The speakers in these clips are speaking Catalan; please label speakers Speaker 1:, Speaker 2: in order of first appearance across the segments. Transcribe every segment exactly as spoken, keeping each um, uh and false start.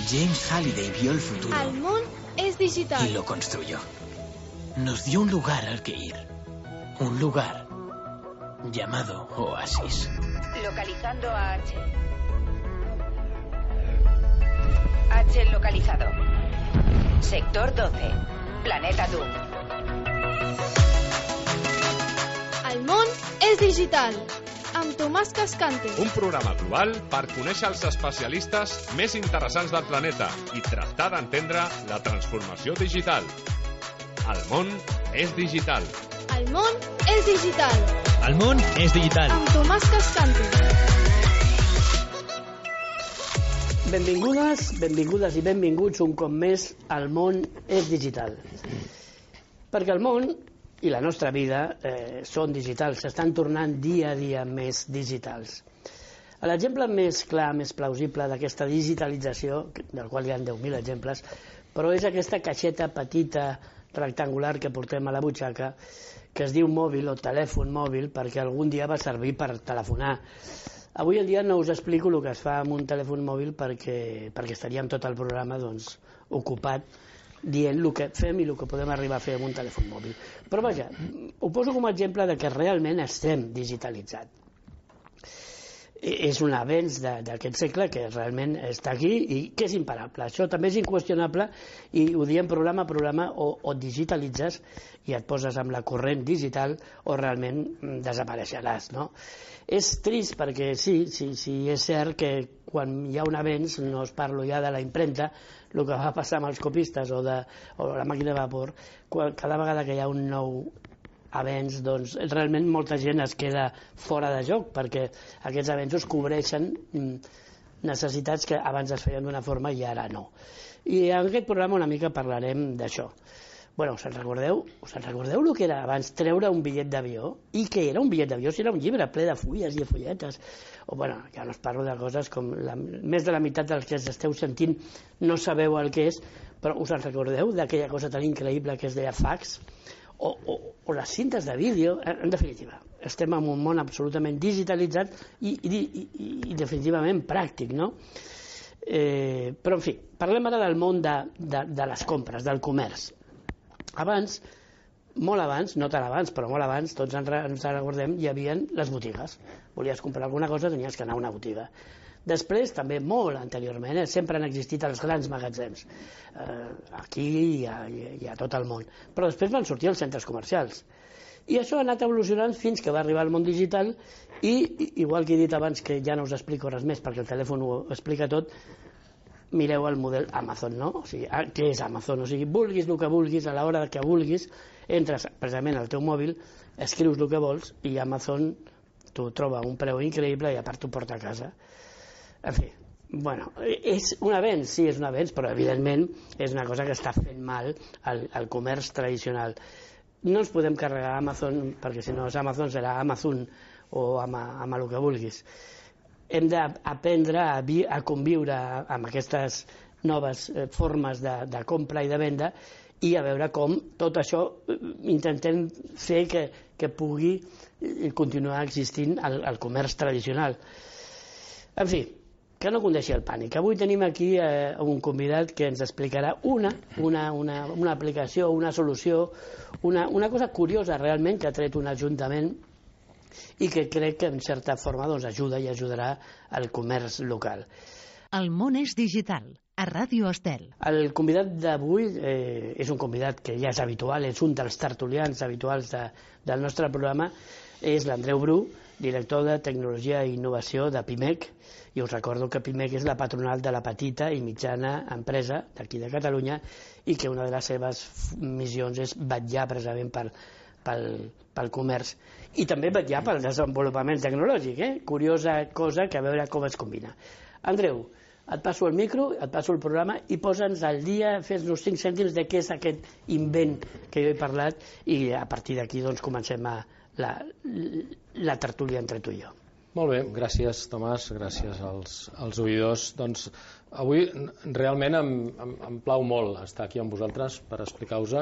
Speaker 1: James Halliday vio el futuro.
Speaker 2: El món es digital.
Speaker 1: Y lo construyó. Nos dio un lugar al que ir. Un lugar llamado Oasis.
Speaker 3: Localizando a H. H localizado. Sector doce. Planeta Doom.
Speaker 2: El món és digital. Amb Tomàs Cascante.
Speaker 4: Un programa global per conèixer els especialistes més interessants del planeta i tractar d'entendre la transformació digital. El món és digital.
Speaker 2: El món és digital.
Speaker 5: El món és digital.
Speaker 2: Amb Tomàs Cascante.
Speaker 6: Benvingudes, benvingudes i benvinguts un cop més al món és digital. Perquè el món i la nostra vida eh, són digitals, s'estan tornant dia a dia més digitals. L'exemple més clar, més plausible d'aquesta digitalització, del qual hi ha deu mil exemples, però és aquesta caixeta petita, rectangular que portem a la butxaca, que es diu mòbil o telèfon mòbil, perquè algun dia va servir per telefonar. Avui en dia no us explico el que es fa amb un telèfon mòbil perquè, perquè estaríem tot el programa doncs, ocupat dient el que fem i el que podem arribar a fer amb un telèfon mòbil. Però vaja, ho poso com a exemple de que realment estem digitalitzats. És un avenç d'aquest segle que realment està aquí i que és imparable. Això també és inqüestionable i ho diem programa a programa, o, o digitalitzes i et poses amb la corrent digital o realment desapareixeràs, no? És trist perquè sí, sí, sí, és cert que quan hi ha un avenç, no us parlo ja de la impremta, el que va passar amb els copistes o, de, o la màquina de vapor, quan, cada vegada que hi ha un nou avenç, doncs realment molta gent es queda fora de joc perquè aquests avenços cobreixen necessitats que abans es feien d'una forma i ara no. I en aquest programa una mica parlarem d'això. Bueno, us en recordeu? Us en recordeu el que era abans treure un bitllet d'avió? I què era un bitllet d'avió? Si era un llibre ple de fulles i de fulletes. O bueno, ja no us parlo de coses com la, més de la meitat dels que esteu sentint no sabeu el que és, però us en recordeu d'aquella cosa tan increïble que es deia fax? O, o, o les cintes de vídeo, en definitiva, estem en un món absolutament digitalitzat i, i, i, i definitivament pràctic, no? Eh, però, en fi, parlem ara del món de, de, de les compres, del comerç. Abans, molt abans, no tan abans, però molt abans, tots ens, ens recordem, hi havia les botigues. Volies comprar alguna cosa, tenies que anar a una botiga. Després, també molt anteriorment, eh, sempre han existit els grans magatzems, eh, aquí i a, i a tot el món. Però després van sortir els centres comercials. I això ha anat evolucionant fins que va arribar al món digital i, igual que he dit abans, que ja no us explico res més perquè el telèfon ho explica tot, mireu el model Amazon, no? O sigui, què és Amazon? O sigui, vulguis el que vulguis, a l'hora que vulguis, entres precisament al teu mòbil, escrius el que vols i Amazon t'ho troba a un preu increïble i a part t'ho porta a casa. En fi, bueno, és un avenç, sí, és un avenç, però evidentment és una cosa que està fent mal al, al comerç tradicional. No ens podem carregar Amazon, perquè si no és Amazon serà Amazon o amb, amb el que vulguis. Hem d'aprendre a, a conviure amb aquestes noves formes de, de compra i de venda i a veure com tot això intentem fer que, que pugui continuar existint el, el comerç tradicional. En fi, que no condeixi el pànic. Avui tenim aquí eh, un convidat que ens explicarà una, una, una, una aplicació, una solució, una, una cosa curiosa realment que ha tret un ajuntament i que crec que en certa forma doncs, ajuda i ajudarà al comerç local.
Speaker 7: El món és digital, a Ràdio Estel.
Speaker 6: El convidat d'avui eh, és un convidat que ja és habitual, és un dels tertulians habituals de, del nostre programa, és l'Andreu Bru, director de Tecnologia i Innovació de Pimec, i us recordo que Pimec és la patronal de la petita i mitjana empresa d'aquí de Catalunya i que una de les seves missions és vetllar precisament per, pel, pel comerç i també vetllar pel desenvolupament tecnològic, eh? Curiosa cosa que a veure com es combina. Andreu, et passo el micro, et passo el programa i posa'ns al dia, fes-nos cinc cèntims de què és aquest invent que jo he parlat i a partir d'aquí doncs, comencem a la, la tertúlia entre tu i jo.
Speaker 8: Molt bé, gràcies Tomàs, gràcies als, als oïdors. Doncs avui realment em, em, em plau molt estar aquí amb vosaltres per explicar-vos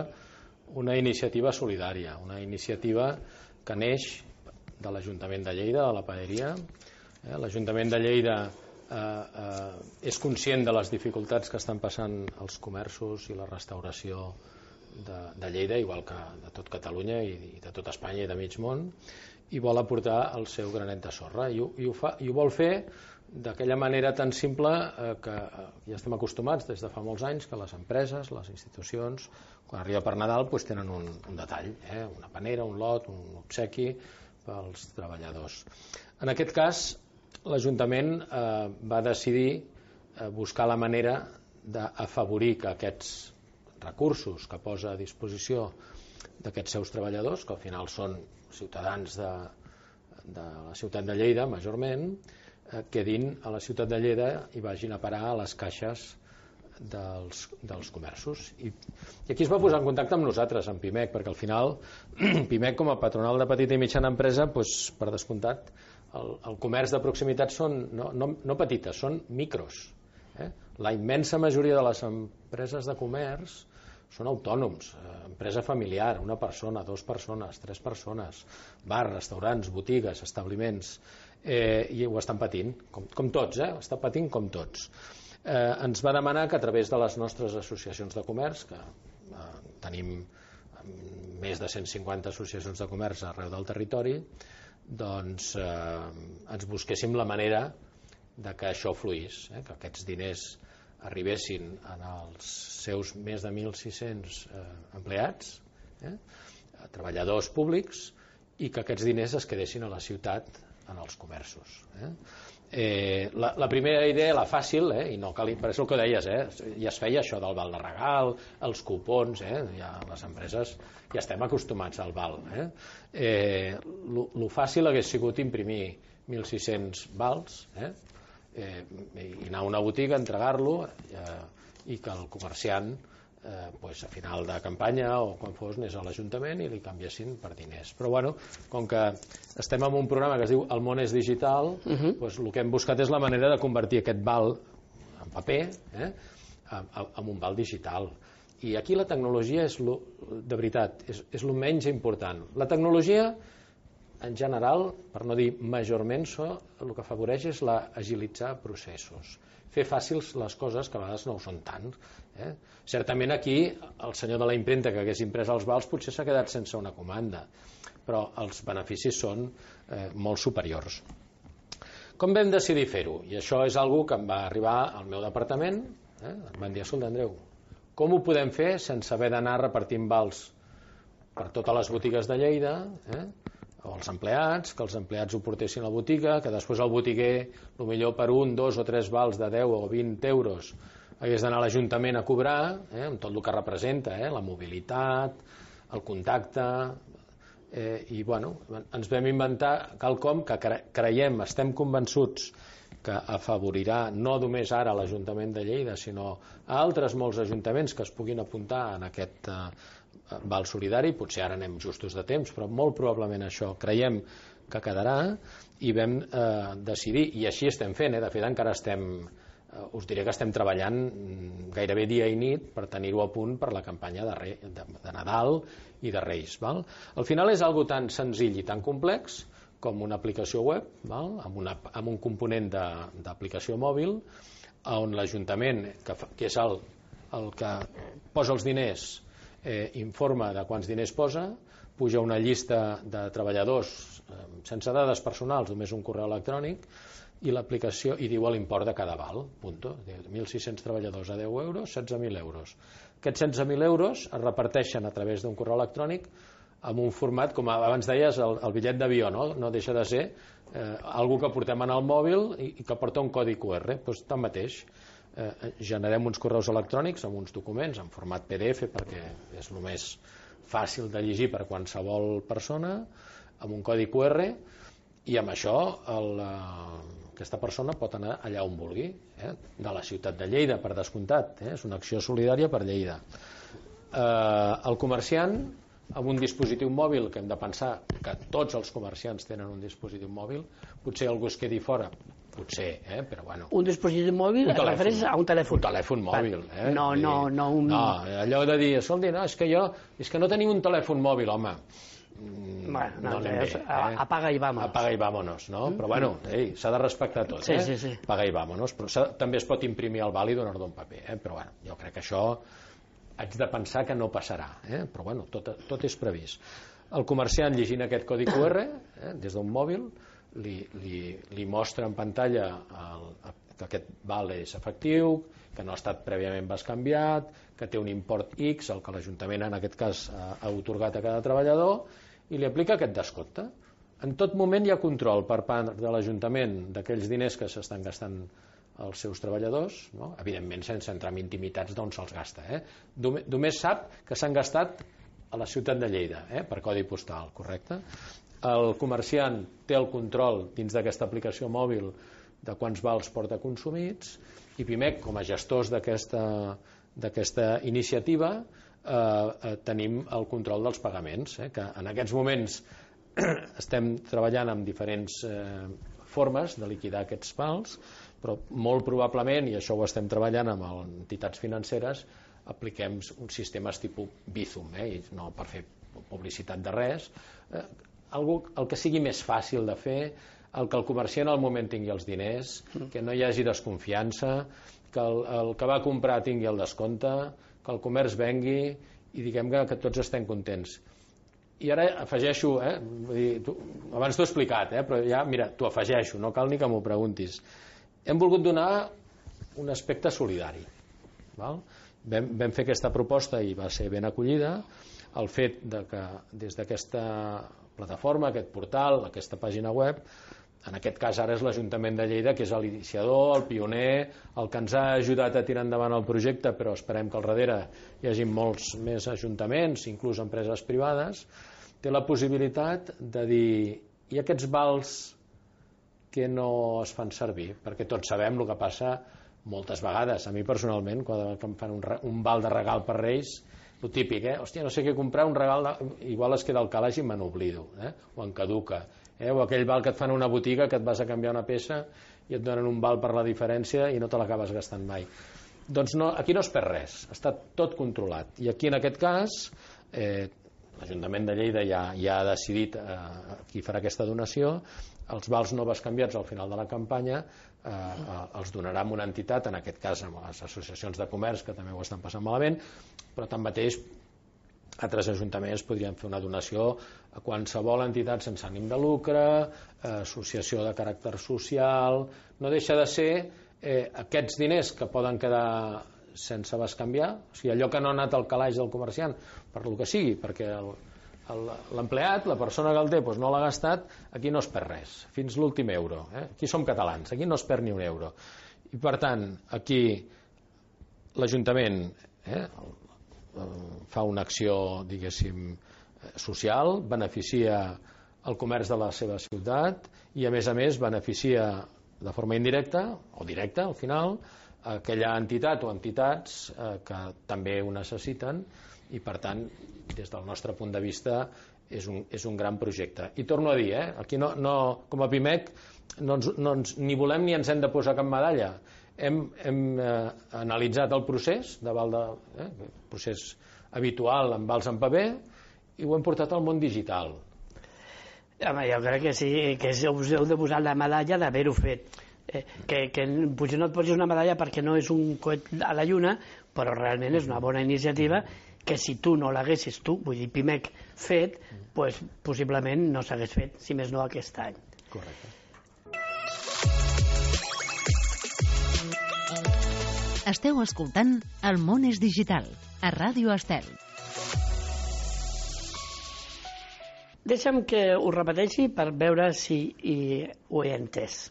Speaker 8: una iniciativa solidària, una iniciativa que neix de l'Ajuntament de Lleida, de la Paeria. Eh? L'Ajuntament de Lleida eh, eh, és conscient de les dificultats que estan passant els comerços i la restauració de, de Lleida, igual que de tot Catalunya i, i de tot Espanya i de mig món, i vol aportar el seu granet de sorra, i ho, i ho, fa, i ho vol fer d'aquella manera tan simple eh, que ja estem acostumats des de fa molts anys que les empreses, les institucions, quan arriba per Nadal doncs tenen un, un detall, eh? una panera, un lot, un obsequi pels treballadors. En aquest cas, l'Ajuntament eh, va decidir eh, buscar la manera d'afavorir que aquests recursos que posa a disposició d'aquests seus treballadors, que al final són ciutadans de, de la ciutat de Lleida, majorment, quedin a la ciutat de Lleida i vagin a parar a les caixes dels, dels comerços. I, I aquí es va posar en contacte amb nosaltres, amb Pimec, perquè al final Pimec, com a patronal de petita i mitjana empresa, doncs, per descomptat, el, el comerç de proximitat són no, no, no petites, són micros. Eh? La immensa majoria de les empreses de comerç són autònoms, eh, empresa familiar, una persona, dues persones, tres persones, bars, restaurants, botigues, establiments, eh, i ho estan patint, com, com tots, eh? Està patint com tots. Eh, ens va demanar que a través de les nostres associacions de comerç, que eh, tenim més de cent cinquanta associacions de comerç arreu del territori, doncs eh, ens busquéssim la manera de que això fluís, eh? Que aquests diners arribessin en els seus més de mil sis-cents eh, empleats, eh, treballadors públics, i que aquests diners es quedessin a la ciutat en els comerços. Eh. Eh, la, la primera idea, la fàcil, eh, i no cal, per això el que deies, eh, ja es feia això del val de regal, els cupons, eh, ja les empreses ja estem acostumats al val. Eh. Eh, lo, lo fàcil hagués sigut imprimir mil sis-cents vals, eh, eh, i anar a una botiga, entregar-lo, eh, i que el comerciant eh, pues, a final de campanya o quan fos anés a l'Ajuntament i li canviessin per diners. Però bueno, com que estem en un programa que es diu El món és digital, uh-huh. pues, el que hem buscat és la manera de convertir aquest val en paper eh, en un val digital. I aquí la tecnologia és lo, de veritat, és, és el menys important. La tecnologia en general, per no dir majorment, so, el que afavoreix és la agilitzar processos, fer fàcils les coses que a vegades no ho són tant. Eh? Certament aquí el senyor de la impremta que hagués imprès els vals potser s'ha quedat sense una comanda, però els beneficis són eh, molt superiors. Com vam decidir fer-ho? I això és algo que em va arribar al meu departament, eh? Em van dir, escolta, Andreu, com ho podem fer sense haver d'anar repartint vals per totes les botigues de Lleida, eh? o els empleats, que els empleats ho portessin a la botiga, que després el botiguer, potser per un, dos o tres vals de deu o vint euros, hagués d'anar a l'Ajuntament a cobrar, eh, amb tot el que representa, eh, la mobilitat, el contacte, eh, i bueno, ens vam inventar quelcom que creiem, estem convençuts que afavorirà no només ara l'Ajuntament de Lleida, sinó a altres molts ajuntaments que es puguin apuntar en aquest eh, val solidari. Potser ara anem justos de temps, però molt probablement això creiem que quedarà, i vam eh, decidir, i així estem fent, eh, de fet encara estem, eh, us diré que estem treballant gairebé dia i nit per tenir-ho a punt per la campanya de, Re, de, de Nadal i de Reis. Val? Al final és algo tan senzill i tan complex com una aplicació web, val? Amb, una, amb un component d'aplicació mòbil, on l'Ajuntament, que, fa, que és el, el que posa els diners, eh, informa de quants diners posa, puja una llista de treballadors eh, sense dades personals, només un correu electrònic, i l'aplicació hi diu l'import de cada val, punto. mil sis-cents treballadors a deu euros, setze mil euros. Aquests setze mil euros es reparteixen a través d'un correu electrònic amb un format, com abans deies, el, el bitllet d'avió, no? No deixa de ser eh, algo que portem en el mòbil i, i que porta un codi cu erre. Doncs tanmateix, eh, generem uns correus electrònics amb uns documents en format pe de efe, perquè és el més fàcil de llegir per qualsevol persona, amb un codi cu erre, i amb això el, aquesta persona pot anar allà on vulgui, eh? De la ciutat de Lleida, per descomptat, eh? És una acció solidària per Lleida. Eh, el comerciant, amb un dispositiu mòbil, que hem de pensar que tots els comerciants tenen un dispositiu mòbil, potser algú es quedi fora, potser, eh? Però bueno.
Speaker 6: Un dispositiu mòbil es refereix a un telèfon.
Speaker 8: Un telèfon mòbil, eh?
Speaker 6: No, no, no un...
Speaker 8: No, allò de dir, escolti, no, és que jo, és que no tenim un telèfon mòbil, home.
Speaker 6: Bueno, no,
Speaker 8: no anem bé.
Speaker 6: eh? Apaga i vámonos.
Speaker 8: Apaga i vámonos, no? Però bueno, s'ha de respectar tot,
Speaker 6: sí,
Speaker 8: eh?
Speaker 6: Sí, sí.
Speaker 8: Apaga i vámonos. Però també es pot imprimir el val i donar-lo un paper, eh? Però bueno, jo crec que això haig de pensar que no passarà, eh? Però bueno, tot, tot és previst. El comerciant, llegint aquest codi Q R, eh, des d'un mòbil, li, li, li mostra en pantalla el, que aquest val és efectiu, que no ha estat prèviament bescanviat, que té un import X, el que l'Ajuntament en aquest cas ha, ha otorgat a cada treballador, i li aplica aquest descompte. En tot moment hi ha control per part de l'Ajuntament d'aquells diners que s'estan gastant els seus treballadors, no? Evidentment sense entrar en intimitats d'on se'ls gasta. Eh? Només sap que s'han gastat a la ciutat de Lleida, eh? Per codi postal, correcte? El comerciant té el control dins d'aquesta aplicació mòbil de quants vals porta consumits, i Pimec, com a gestors d'aquesta iniciativa, eh, eh, tenim el control dels pagaments, eh? Que en aquests moments estem treballant amb diferents eh, formes de liquidar aquests vals, però molt probablement, i això ho estem treballant amb entitats financeres, apliquem uns sistemes tipus Bizum, eh? I no per fer publicitat de res, eh, algo, el que sigui més fàcil de fer, el que el comerciant al moment tingui els diners, que no hi hagi desconfiança, que el, el que va comprar tingui el descompte, que el comerç vengui i diguem que, que tots estem contents. I ara afegeixo, eh? Vull dir, tu, abans t'ho he explicat, eh? Però ja, mira, t'ho afegeixo, no cal ni que m'ho preguntis. Hem volgut donar un aspecte solidari, val? Vam, vam fer aquesta proposta i va ser ben acollida. El fet de que des d'aquesta plataforma, aquest portal, aquesta pàgina web, en aquest cas ara és l'Ajuntament de Lleida, que és l'iniciador, el pioner, el que ens ha ajudat a tirar endavant el projecte, però esperem que al darrere hi hagi molts més ajuntaments, inclús empreses privades, té la possibilitat de dir, i aquests vals que no es fan servir, perquè tots sabem el que passa moltes vegades. A mi personalment, quan em fan un, un val de regal per Reis, el típic, eh? Hòstia, no sé què comprar, un regal, de... igual es queda al calaix i me n'oblido, eh? O en caduca, eh? O aquell val que et fan a una botiga que et vas a canviar una peça i et donen un val per la diferència i no te l'acabes gastant mai. Doncs no, aquí no es perd res, està tot controlat. I aquí en aquest cas eh, l'Ajuntament de Lleida ja, ja ha decidit eh, qui farà aquesta donació. Els vals no bescanviats al final de la campanya eh, eh, els donarà a una entitat, en aquest cas amb les associacions de comerç que també ho estan passant malament, però tanmateix altres ajuntaments podrien fer una donació a qualsevol entitat sense ànim de lucre, eh, associació de caràcter social. No deixa de ser eh, aquests diners que poden quedar sense bescanviar, o sigui, allò que no ha anat al calaix del comerciant, per lo que sigui, perquè el l'empleat, la persona que el té, doncs no l'ha gastat, aquí no es perd res, fins l'últim euro. Eh? Aquí som catalans, aquí no es perd ni un euro. I per tant, aquí l'Ajuntament eh, fa una acció, diguéssim, social, beneficia el comerç de la seva ciutat i, a més a més, beneficia de forma indirecta, o directa, al final, aquella entitat o entitats eh, que també ho necessiten, i per tant des del nostre punt de vista és un, és un gran projecte. I torno a dir, eh, aquí no, no, com a Pimec no ens, no ens, ni volem ni ens hem de posar cap medalla. Hem, hem eh, analitzat el procés de val de, eh, procés habitual amb vals en paper i ho hem portat al món digital.
Speaker 6: Home, jo crec que sí, que us heu de posar la medalla d'haver-ho fet. Eh, que, que potser no et posis una medalla perquè no és un coet a la lluna, però realment és una bona iniciativa que si tu no l'haguessis tu, vull dir Pimec, fet, pues, possiblement no s'hagués fet, si més no aquest any.
Speaker 8: Correcte.
Speaker 7: Esteu escoltant El món és digital, a Ràdio Estel.
Speaker 6: Deixa'm que ho repeteixi per veure si hi, ho he entès.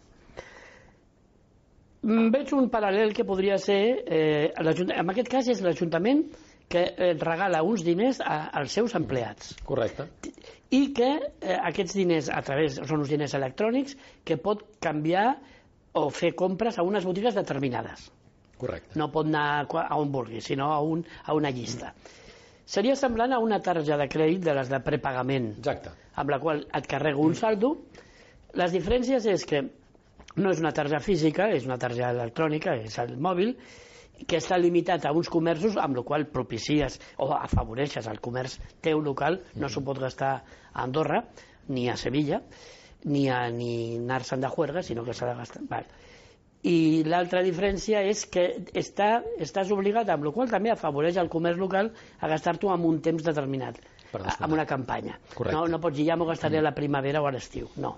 Speaker 6: Veig un paral·lel que podria ser, eh, en aquest cas és l'Ajuntament que regala uns diners a, als seus empleats.
Speaker 8: Correcte.
Speaker 6: I que eh, aquests diners, a través, són uns diners electrònics, que pot canviar o fer compres a unes botigues determinades.
Speaker 8: Correcte.
Speaker 6: No pot anar a on vulgui, sinó a, un, a una llista. Seria semblant a una tarja de crèdit de les de prepagament.
Speaker 8: Exacte.
Speaker 6: Amb la qual et carrego un saldo. Les diferències és que no és una tarja física, és una tarja electrònica, és el mòbil, que està limitat a uns comerços, amb la qual propicies o afavoreixes el comerç teu local, no s'ho pot gastar a Andorra, ni a Sevilla, ni a ni anar-se'n de juerga, sinó que s'ha de gastar. Val. I l'altra diferència és que està, estàs obligat, amb la qual també afavoreix el comerç local a gastar-t'ho en un temps determinat, amb una campanya. No, no pots dir, ja m'ho gastaré a la primavera o a l'estiu, no.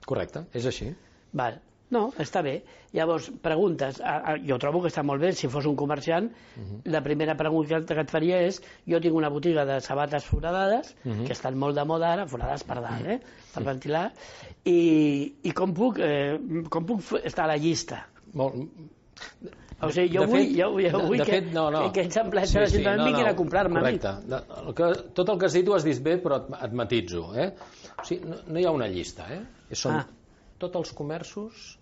Speaker 8: Correcte, és així.
Speaker 6: Val. No, està bé. Llavors, preguntes. Jo trobo que està molt bé. Si fos un comerciant, uh-huh. la primera pregunta que et faria és: jo tinc una botiga de sabates foradades, uh-huh. que estan molt de moda ara, foradades per dalt, eh? per ventilar, i, i com, puc, eh, com puc estar a la llista?
Speaker 8: Molt...
Speaker 6: O sigui, jo de vull, fet, jo, jo vull de, de que, fet, no, no. que aquests empleats sí, de l'Ajuntament sí, no, vinguin no, a comprar-me a mi.
Speaker 8: De, el que, tot el que has dit ho has dit bé, però et, et matitzo. Eh? O sigui, no, no hi ha una llista. Eh? Són ah. tots els comerços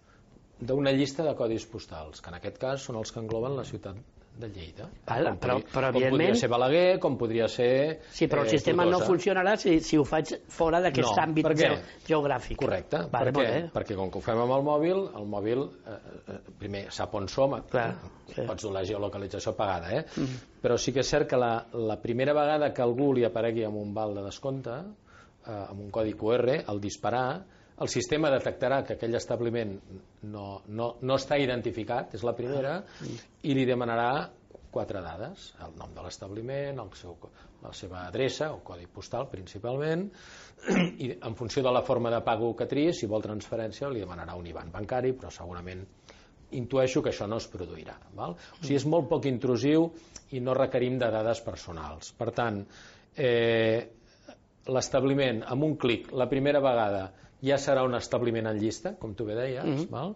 Speaker 8: d'una llista de codis postals, que en aquest cas són els que engloben la ciutat de Lleida.
Speaker 6: Val,
Speaker 8: com,
Speaker 6: però, però,
Speaker 8: com podria ser Balaguer, com podria ser...
Speaker 6: Sí, però el eh, sistema Tortosa. No funcionarà si, si ho faig fora d'aquest no, àmbit ge geogràfic.
Speaker 8: Correcte. Vale, per què? Perquè com que ho fem amb el mòbil, el mòbil, eh, primer, sap on som, Clar, sí. pots dur la geolocalització pagada, eh? Mm -hmm. Però sí que és cert que la, la primera vegada que algú li aparegui amb un val de descompte, eh, amb un codi Q R, al disparar, el sistema detectarà que aquell establiment no, no, no està identificat, és la primera, i li demanarà quatre dades: el nom de l'establiment, la seva adreça o codi postal principalment, i en funció de la forma de pago que triï, si vol transferència li demanarà un I B A N bancari, però segurament intueixo que això no es produirà. Val? O sigui, és molt poc intrusiu i no requerim de dades personals. Per tant, eh, l'establiment, amb un clic, la primera vegada, ja serà un establiment en llista, com tu bé deies, mm -hmm. val?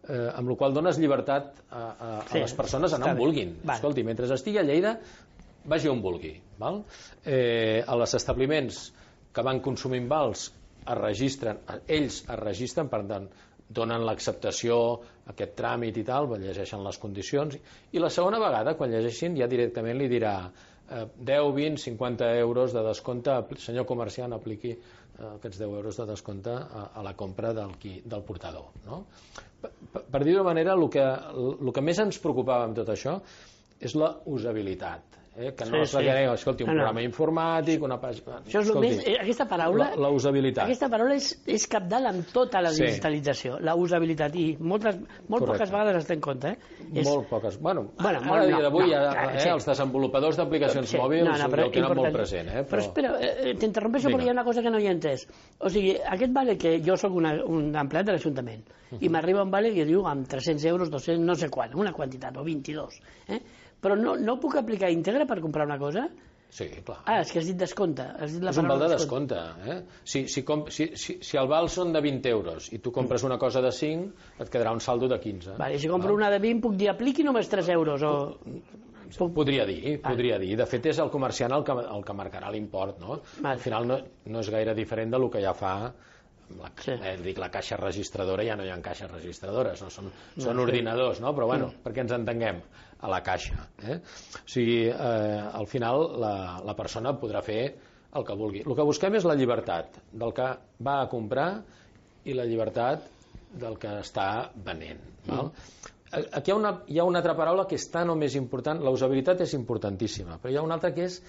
Speaker 8: Eh, amb la qual dones llibertat a, a, a sí, les persones a anar on vulguin. Vale. Escolti, mentre estigui a Lleida, vagi on vulgui. Val? Eh, a les establiments que van consumint vals es registren, ells es registren, per tant, donen l'acceptació, aquest tràmit i tal, llegeixen les condicions, i la segona vegada, quan llegeixin, ja directament li dirà eh, deu, vint, cinquanta euros de descompte, senyor comerciant, apliqui aquests deu euros de descompte a, a la compra del, qui, del portador. No? Per, per, per dir-ho d'una manera, el que, el que més ens preocupava amb tot això és la usabilitat. Eh? Que no sí, es requereix, sí. escolti, un no, programa no. informàtic, una pàgina...
Speaker 6: Això és escolti, més, aquesta paraula...
Speaker 8: La, la usabilitat.
Speaker 6: Aquesta paraula és, és capdalt amb tota la sí. digitalització, la usabilitat, i moltes, molt Correcte. Poques vegades es té en compte. Eh? És...
Speaker 8: Molt poques. Bueno, bueno ara, a dia d'avui, no, no, eh, sí. els desenvolupadors d'aplicacions sí. mòbils no, no, però, ho tenen molt present. Eh? Però,
Speaker 6: però espera, eh, t'interrompeixo perquè hi ha una cosa que no hi he entès. O sigui, aquest vale que jo sóc una, un empleat de l'Ajuntament, uh -huh. i m'arriba un vale que diu amb tres-cents euros, dos-cents, no sé quant, una quantitat, o vint-i-dos, eh? Però no, no puc aplicar íntegre per comprar una cosa?
Speaker 8: Sí, clar.
Speaker 6: Ah, és que has dit descompte. Has dit la
Speaker 8: és un val de descompte. Eh? Si, si, com, si, si, si el val són de vint euros i tu compres una cosa de cinc, et quedarà un saldo de quinze.
Speaker 6: Vale, si compro val? una de vint, puc dir apliqui només tres euros o...
Speaker 8: Podria dir, podria dir. De fet, és el comerciant el que, el que marcarà l'import, no? Vale. Al final no, no és gaire diferent del que ja fa... La, sí. eh, dic, la caixa registradora, ja no hi ha caixes registradores, no? són, no, són sí. ordinadors, no? Però bueno, mm. perquè ens entenguem, a la caixa. Eh? O sigui, eh, al final la, la persona podrà fer el que vulgui. El que busquem és la llibertat del que va a comprar i la llibertat del que està venent. Val? Mm. Aquí hi ha, una, hi ha una altra paraula que és tan o més important. La usabilitat és importantíssima, però hi ha una altra que és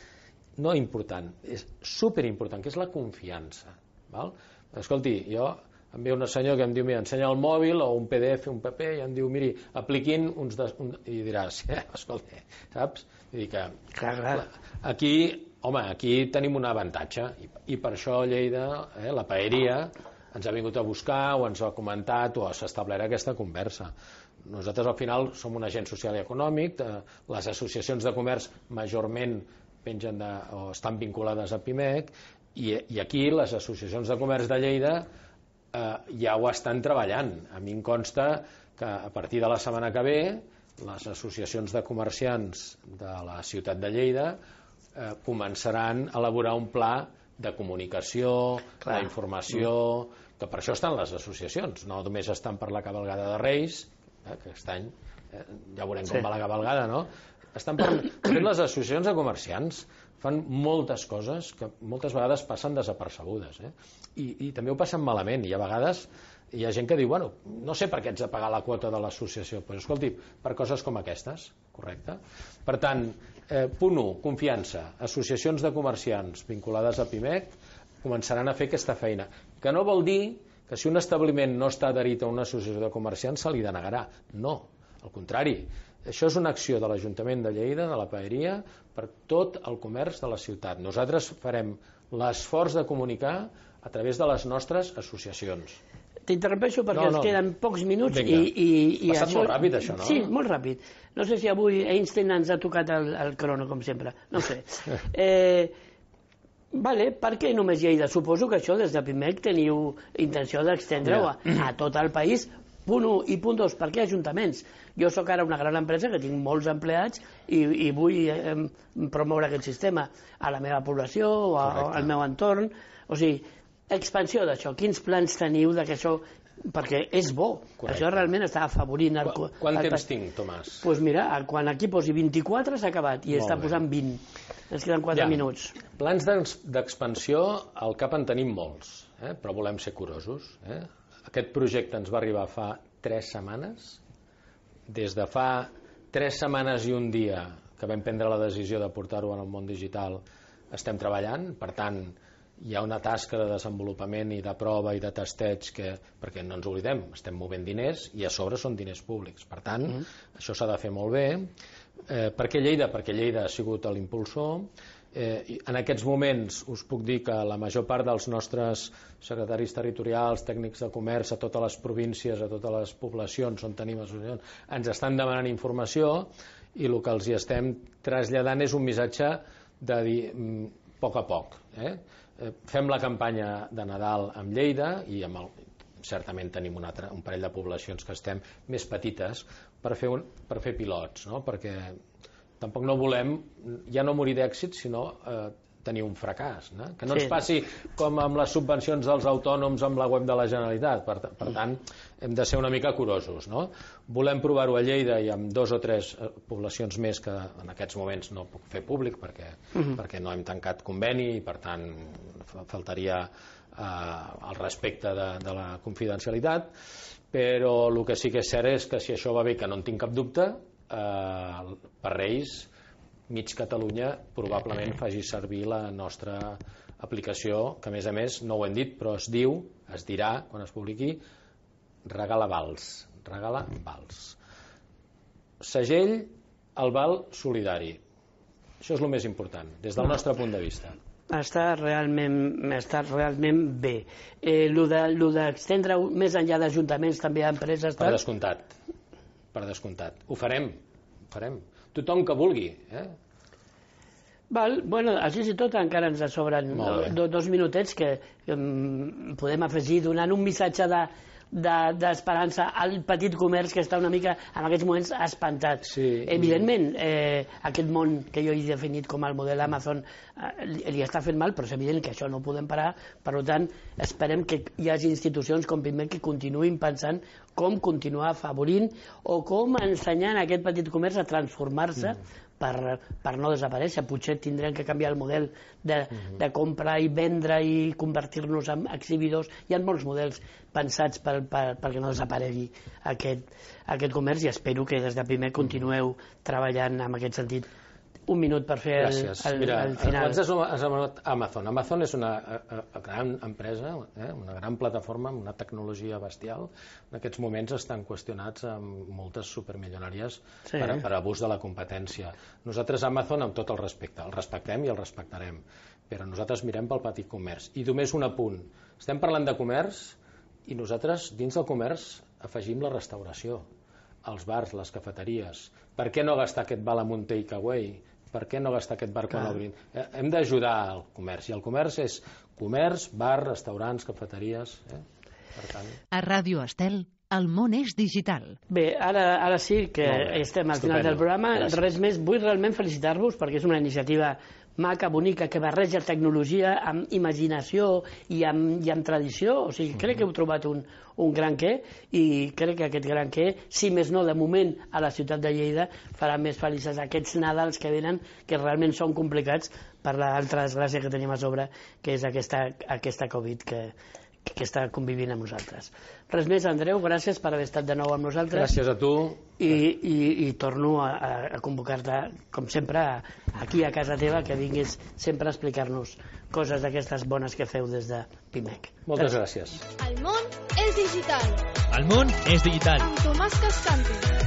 Speaker 8: no important, és superimportant, que és la confiança. Val? Escolti, jo em ve un senyor que em diu, mira, ensenya el mòbil o un P D F, un paper, i em diu, miri, apliquin uns... De, un, i diràs, eh, escolta, saps? Vull dir que
Speaker 6: clar, clar.
Speaker 8: Aquí, home, aquí tenim un avantatge, i, i per això Lleida, eh, la paeria, ens ha vingut a buscar o ens ha comentat o s'ha establert aquesta conversa. Nosaltres al final som un agent social i econòmic, eh, les associacions de comerç majorment pengen de, o estan vinculades a Pimec, i, i aquí les associacions de comerç de Lleida eh, ja ho estan treballant. A mi em consta que a partir de la setmana que ve les associacions de comerciants de la ciutat de Lleida eh, començaran a elaborar un pla de comunicació, Clar. d'informació, que per això estan les associacions, no només estan per la cavalgada de Reis, eh, que aquest any eh, ja veurem com sí. va la cavalgada, no? Estan per... les associacions de comerciants fan moltes coses que moltes vegades passen desapercebudes, eh? I, i també ho passen malament, i a vegades hi ha gent que diu, bueno, no sé per què ets de pagar la quota de l'associació, però escolti, per coses com aquestes, correcte? Per tant, eh, punt u, confiança. Associacions de comerciants vinculades a Pimec començaran a fer aquesta feina, que no vol dir que si un establiment no està adherit a una associació de comerciants se li denegarà. No, al contrari. Això és una acció de l'Ajuntament de Lleida, de la Paeria, per tot el comerç de la ciutat. Nosaltres farem l'esforç de comunicar a través de les nostres associacions.
Speaker 6: T'interrompeixo perquè
Speaker 8: No,
Speaker 6: ens
Speaker 8: no.
Speaker 6: queden pocs minuts
Speaker 8: Vinga.
Speaker 6: i, i, i
Speaker 8: Passat
Speaker 6: això...
Speaker 8: molt ràpid, això, no?
Speaker 6: Sí, molt ràpid. No sé si avui Einstein ens ha tocat el, el crono, com sempre. No sé. Eh, vale, per què només Lleida? Suposo que això des de Pimec teniu intenció d'extendre-ho a, a tot el país. Punt u i punt dos, per què ajuntaments? Jo sóc ara una gran empresa que tinc molts empleats i, i vull eh, promoure aquest sistema a la meva població o a,
Speaker 8: Correcte.
Speaker 6: al meu entorn. O sigui, expansió d'això. Quins plans teniu de que això... Perquè és bo.
Speaker 8: Correcte.
Speaker 6: Això realment està afavorint... El,
Speaker 8: Qu Quant
Speaker 6: el,
Speaker 8: temps tinc, Tomàs?
Speaker 6: Doncs pues mira, quan aquí posi vint-i-quatre s'ha acabat i
Speaker 8: Molt
Speaker 6: està
Speaker 8: bé.
Speaker 6: posant vint. Ens queden quatre
Speaker 8: Ja.
Speaker 6: minuts.
Speaker 8: Plans d'expansió al cap en tenim molts, eh? Però volem ser curosos. Eh? Aquest projecte ens va arribar fa tres setmanes. Des de fa tres setmanes i un dia que vam prendre la decisió de portar-ho en el món digital estem treballant. Per tant, hi ha una tasca de desenvolupament i de prova i de testeig que, perquè no ens oblidem, estem movent diners i a sobre són diners públics. Per tant, mm. això s'ha de fer molt bé. Eh, per què Lleida? Perquè Lleida ha sigut l'impulsor. Eh, en aquests moments us puc dir que la major part dels nostres secretaris territorials, tècnics de comerç a totes les províncies, a totes les poblacions on tenim associacions, ens estan demanant informació i el que els hi estem traslladant és un missatge de dir mm, poc a poc. Eh? Fem la campanya de Nadal amb Lleida i amb el, certament tenim un, altre, un parell de poblacions que estem més petites per fer, un, per fer pilots, no? Perquè tampoc no volem ja no morir d'èxit sinó eh, tenir un fracàs, no? Que no ens passi com amb les subvencions dels autònoms amb la web de la Generalitat. Per, per tant, hem de ser una mica curosos, no? Volem provar-ho a Lleida i amb dos o tres poblacions més que en aquests moments no puc fer públic perquè, uh-huh. perquè no hem tancat conveni i per tant faltaria eh, el respecte de, de la confidencialitat, però el que sí que és cert és que si això va bé, que no en tinc cap dubte, eh, per Reis mig Catalunya probablement faci servir la nostra aplicació, que a més a més no ho hem dit, però es diu, es dirà quan es publiqui, Regala Vals. Regala Vals. Segell al Val Solidari. Això és el més important, des del nostre punt de vista.
Speaker 6: Està realment, està realment bé. Eh, lo de, lo d'extendre més enllà d'ajuntaments també a empreses...
Speaker 8: Per descomptat. Per descomptat. Ho farem. Ho farem. Tothom que vulgui. Eh?
Speaker 6: Val, bueno, així i tot encara ens sobren do, dos minutets que um, podem afegir donant un missatge de d'esperança de, al petit comerç que està una mica en aquests moments espantat.
Speaker 8: Sí.
Speaker 6: Evidentment, eh, aquest món que jo he definit com el model Amazon eh, li, li està fent mal, però és evident que això no ho podem parar. Per tant, esperem que hi hagi institucions com Pimec que continuïn pensant com continuar afavorint o com ensenyant a aquest petit comerç a transformar-se mm. per, per no desaparèixer. Potser tindrem que canviar el model de, mm. de comprar i vendre i convertir-nos en exhibidors. Hi ha molts models pensats per, per, perquè no desaparegui aquest, aquest comerç i espero que des de Pimec continueu treballant en aquest sentit. Un minut per fer el, el,
Speaker 8: Mira,
Speaker 6: el final.
Speaker 8: Abans has anomenat Amazon. Amazon és una a, a gran empresa, eh? una gran plataforma amb una tecnologia bestial. En aquests moments estan qüestionats amb moltes supermilionàries sí. per, per abús de la competència. Nosaltres Amazon, amb tot el respecte, el respectem i el respectarem, però nosaltres mirem pel petit comerç. I només un apunt. Estem parlant de comerç i nosaltres dins del comerç afegim la restauració, els bars, les cafeteries. Per què no gastar aquest val amb un takeaway? Per què no gastar aquest bar quan obrin? Hem d'ajudar al comerç, i el comerç és comerç, bar, restaurants, cafeteries. Eh? Per tant...
Speaker 7: A Ràdio Estel, el món és digital.
Speaker 6: Bé, ara, ara sí que estem al final del programa. Gràcies. Res més, vull realment felicitar-vos perquè és una iniciativa maca, bonica, que barreja tecnologia amb imaginació i amb, i amb tradició. O sigui, crec que heu trobat un, un gran què, i crec que aquest gran què, si més no de moment a la ciutat de Lleida, farà més felices aquests Nadals que venen, que realment són complicats per l'altra desgràcia que tenim a sobre, que és aquesta, aquesta Covid que, que està convivint amb nosaltres. Res més, Andreu, gràcies per haver estat de nou amb nosaltres.
Speaker 8: Gràcies a tu.
Speaker 6: I, i, i torno a, a convocar-te, com sempre, aquí a casa teva, que vinguis sempre a explicar-nos coses d'aquestes bones que feu des de Pimec.
Speaker 8: Moltes gràcies.
Speaker 2: El món és digital.
Speaker 5: El món és digital.
Speaker 2: Amb Tomàs Cascante.